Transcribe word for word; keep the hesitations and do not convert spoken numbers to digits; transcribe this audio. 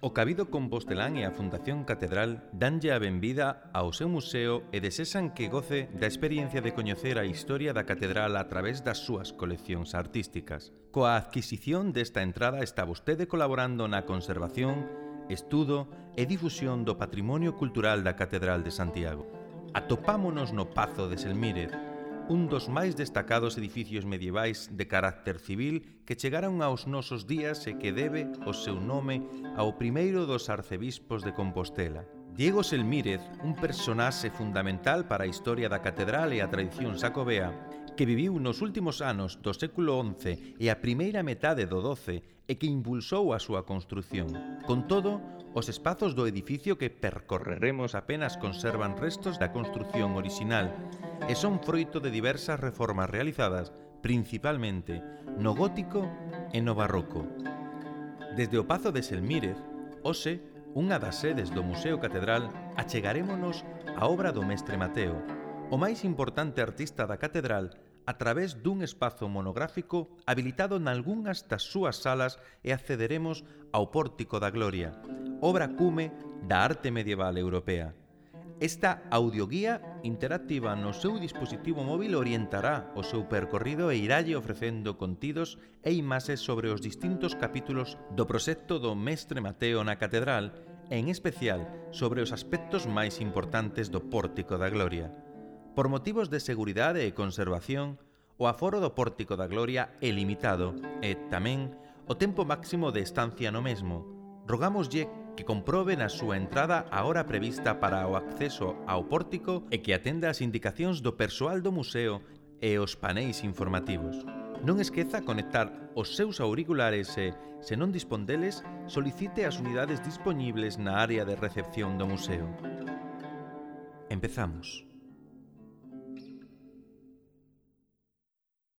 O Cabido Compostelán e a Fundación Catedral danlle a benvida ao seu museo e desexan que goce da experiencia de coñecer a historia da catedral a través das súas coleccións artísticas. Coa adquisición desta entrada está vostede colaborando na conservación, estudo e difusión do patrimonio cultural da Catedral de Santiago. Atopámonos no Pazo de Selmírez, un dos máis destacados edificios medievais de carácter civil que chegaron aos nosos días e que debe o seu nome ao primeiro dos arcebispos de Compostela. Diego Selmírez, un personaxe fundamental para a historia da catedral e a tradición xacobea, que viviu nos últimos anos do século once e a primeira metade do doce e que impulsou a súa construción. Con todo, os espazos do edificio que percorreremos apenas conservan restos da construción orixinal e son froito de diversas reformas realizadas, principalmente no gótico e no barroco. Desde o Pazo de Selmírez, hoxe, unha das sedes do Museo Catedral, achegarémonos á obra do Mestre Mateo, o máis importante artista da catedral, a través dun espazo monográfico habilitado nalgunhas das súas salas e accederemos ao Pórtico da Gloria, obra cume da arte medieval europea. Esta audioguía interactiva no seu dispositivo móvil orientará o seu percorrido e iralle ofrecendo contidos e imaxes sobre os distintos capítulos do proxecto do Mestre Mateo na catedral e en especial sobre os aspectos máis importantes do Pórtico da Gloria. Por motivos de seguridade e conservación, o aforo do Pórtico da Gloria é limitado e, tamén, o tempo máximo de estancia no mesmo. Rogámoslle que comprobe na súa entrada a hora prevista para o acceso ao pórtico e que atenda as indicacións do persoal do museo e os paneis informativos. Non esqueza conectar os seus auriculares e, se non dispón deles, solicite as unidades dispoñibles na área de recepción do museo. Empezamos.